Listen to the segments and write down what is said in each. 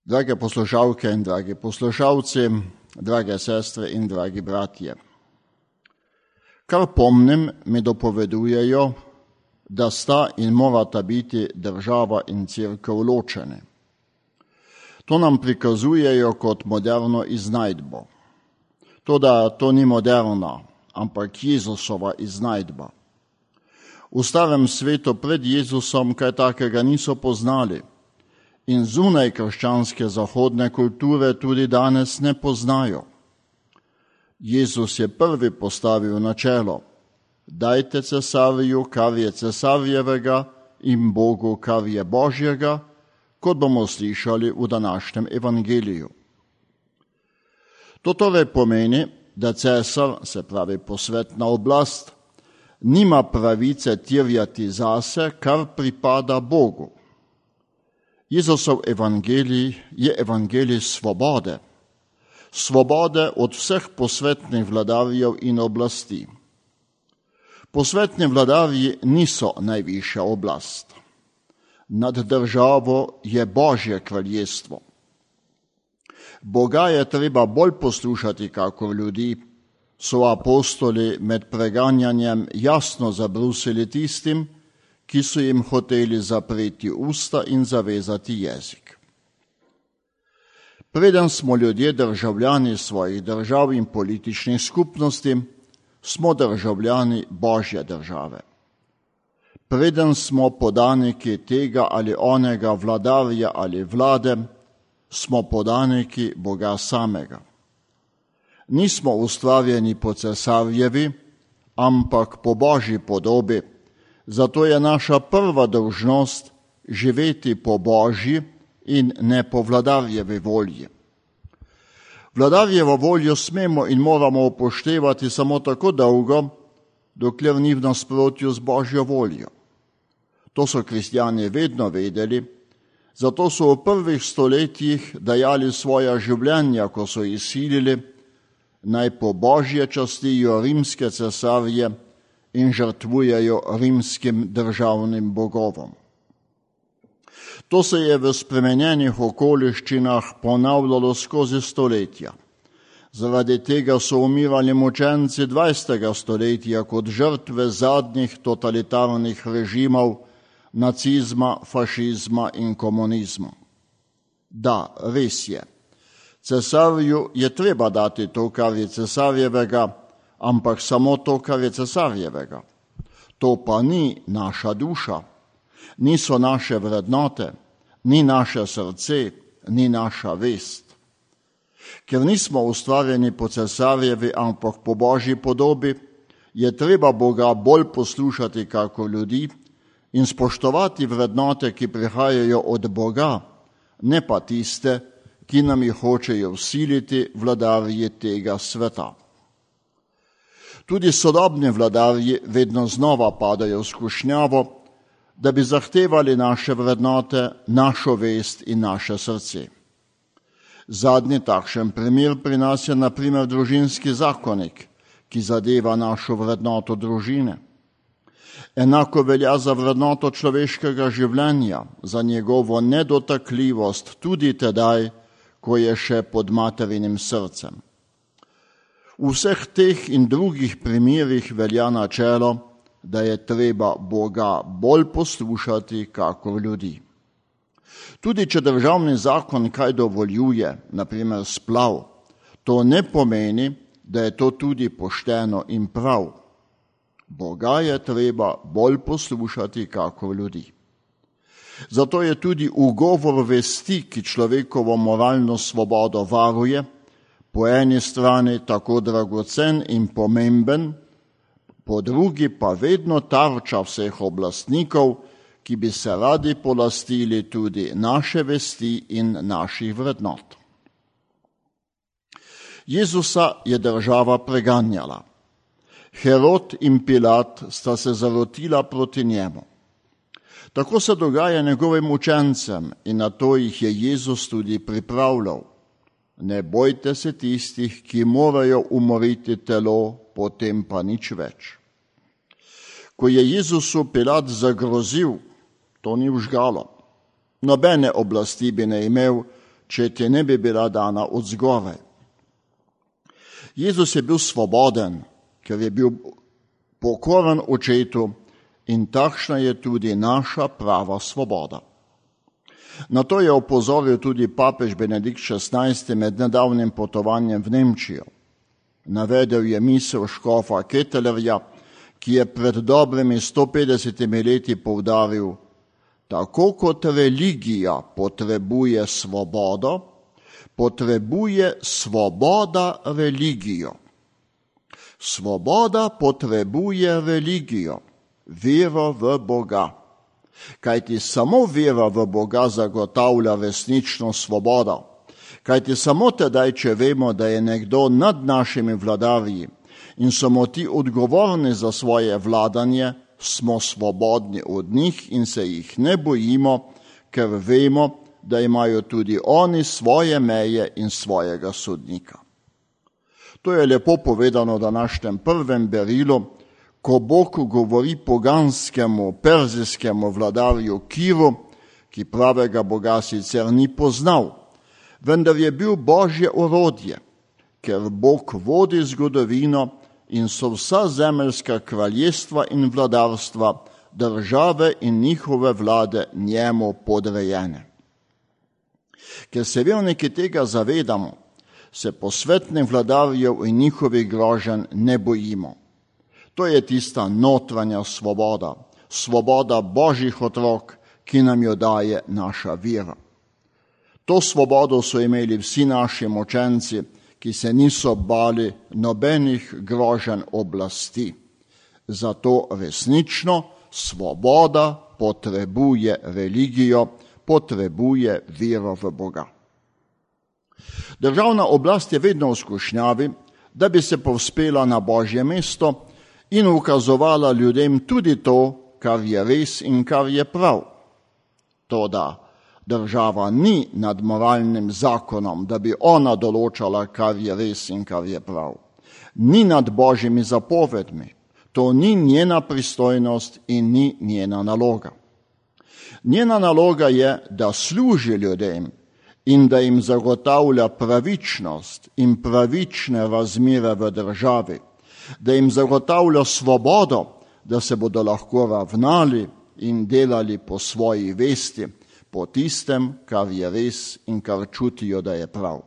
Drage poslušalke in dragi poslušalci, drage sestre in dragi bratje. Kar pomnim, mi dopovedujejo, da sta in morata biti država in cerkev ločene. To nam prikazujejo kot moderno iznajdbo. Toda to ni moderna, ampak Jezusova iznajdba. V starem svetu pred Jezusom kaj takega niso poznali in zunaj krščanske zahodne kulture tudi danes ne poznajo. Jezus je prvi postavil načelo: dajte cesarju, kar je cesarjevega, in Bogu, kar je Božjega, kot bomo slišali v današnjem evangeliju. To torej pomeni, da cesar, se pravi posvetna oblast, nima pravice terjati zase, kar pripada Bogu. Jezusov evangelij je evangelij svobode. Svobode od vseh posvetnih vladarjev in oblasti. Posvetni vladarji niso najvišja oblast. Nad državo je Božje kraljestvo. Boga je treba bolj poslušati kakor ljudi, so apostoli med preganjanjem jasno zabrusili tistim, ki so jim hoteli zapreti usta in zavezati jezik. Preden smo ljudje državljani svojih držav in političnih skupnosti, smo državljani Božje države. Preden smo podaniki tega ali onega vladarja ali vlade, smo podaniki Boga samega. Nismo ustvarjeni po cesarjevi, ampak po Božji podobi, zato je naša prva dolžnost živeti po Božji in ne po vladarjevi volji. Vladarjevo voljo smemo in moramo upoštevati samo tako dolgo, dokler ni v nasprotju z Božjo voljo. To so kristjani vedno vedeli, zato so v prvih stoletjih dajali svoja življenja, ko so izsilili, naj po Božje častijo rimske cesarje in žrtvujejo rimskim državnim bogovom. To se je v spremenjenih okoliščinah ponavljalo skozi stoletja. Zaradi tega so umirali mučenci 20. stoletja kot žrtve zadnjih totalitarnih režimov, nacizma, fašizma in komunizma. Da, res je. Cesarju je treba dati to, kar je cesarjevega, ampak samo to, kar je cesarjevega. To pa ni naša duša, niso naše vrednote, ni naše srce, ni naša vest. Ker nismo ustvarjeni po cesarjevi, ampak po Božji podobi, je treba Boga bolj poslušati kakor ljudi in spoštovati vrednote, ki prihajajo od Boga, ne pa tiste, ki nam jih hočejo vsiliti vladarji tega sveta. Tudi sodobni vladarji vedno znova padajo v skušnjavo, da bi zahtevali naše vrednote, našo vest in naše srce. Zadnji takšen primer pri nas je na primer družinski zakonik, ki zadeva našo vrednoto družine. Enako velja za vrednoto človeškega življenja, za njegovo nedotakljivost tudi tedaj, ko je še pod materinim srcem. V vseh teh in drugih primerih velja načelo, da je treba Boga bolj poslušati kakor ljudi. Tudi če državni zakon kaj dovoljuje, na primer splav, to ne pomeni, da je to tudi pošteno in prav. Boga je treba bolj poslušati kakor ljudi. Zato je tudi ugovor vesti, ki človekovo moralno svobodo varuje, po eni strani tako dragocen in pomemben, po drugi pa vedno tarča vseh oblastnikov, ki bi se radi polastili tudi naše vesti in naših vrednot. Jezusa je država preganjala. Herod in Pilat sta se zarotila proti njemu. Tako se dogaja njegovim učencem in na to jih je Jezus tudi pripravljal. Ne bojte se tistih, ki morajo umoriti telo, potem pa nič več. Ko je Jezusu Pilat zagrozil, to ni vžgalo. Nobene oblasti bi ne imel, če ti ne bi bila dana od zgoraj. Jezus je bil svoboden, ker je bil pokoren očetu in takšna je tudi naša prava svoboda. Na to je opozoril tudi papež Benedikt XVI med nedavnim potovanjem v Nemčijo. Navedel je misel škofa Kettelerja, ki je pred dobrimi 150 leti poudaril: tako kot religija potrebuje svobodo, potrebuje svoboda religijo. Svoboda potrebuje religijo, vero v Boga. Kajti samo vera v Boga zagotavlja resnično svobodo. Kajti samo tedaj, če vemo, da je nekdo nad našimi vladarji in smo ti odgovorni za svoje vladanje, smo svobodni od njih in se jih ne bojimo, ker vemo, da imajo tudi oni svoje meje in svojega sodnika. To je lepo povedano v današnjem prvem berilu, ko Bog govori poganskemu, perzijskemu vladarju Kiru, ki pravega Boga sicer ni poznal, vendar je bil Božje orodje, ker Bog vodi zgodovino in so vsa zemeljska kraljestva in vladarstva, države in njihove vlade njemu podrejene. Ker se verniki tega zavedamo, se posvetnih vladarjev in njihovih groženj ne bojimo. To je tista notranja svoboda, svoboda Božjih otrok, ki nam jo daje naša vera. To svobodo so imeli vsi naši močenci, ki se niso bali nobenih groženj oblasti. Zato resnično svoboda potrebuje religijo, potrebuje vero v Boga. Državna oblast je vedno v skušnjavi, da bi se povzpela na Božje mesto in ukazovala ljudem tudi to, kar je res in kar je prav. Toda država ni nad moralnim zakonom, da bi ona določala, kar je res in kar je prav. Ni nad Božjimi zapovedmi. To ni njena pristojnost in ni njena naloga. Njena naloga je, da služi ljudem in da jim zagotavlja pravičnost in pravične razmere v državi, da jim zagotavlja svobodo, da se bodo lahko ravnali in delali po svoji vesti, po tistem, kar je res in kar čutijo, da je prav.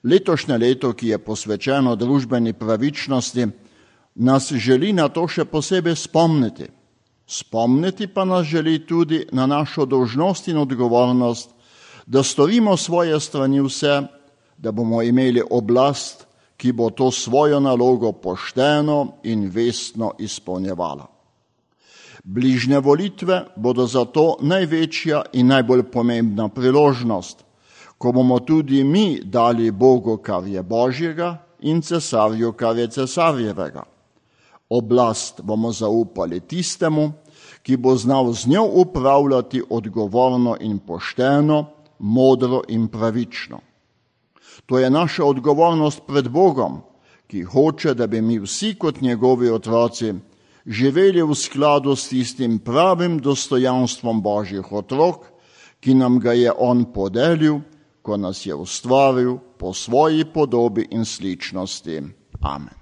Letošnje leto, ki je posvečeno družbeni pravičnosti, nas želi na to še posebej spomniti. Spomniti pa nas želi tudi na našo dolžnost in odgovornost, da storimo svoje strani vse, da bomo imeli oblast, ki bo to svojo nalogo pošteno in vestno izpolnjevala. Bližnje volitve bodo zato največja in najbolj pomembna priložnost, ko bomo tudi mi dali Bogu, kar je Božjega, in cesarju, kar je cesarjevega. Oblast bomo zaupali tistemu, ki bo znal z njo upravljati odgovorno in pošteno, modro in pravično. To je naša odgovornost pred Bogom, ki hoče, da bi mi vsi kot njegovi otroci živeli v skladu s tistim pravim dostojanstvom Božjih otrok, ki nam ga je on podelil, ko nas je ustvaril po svoji podobi in sličnosti. Amen.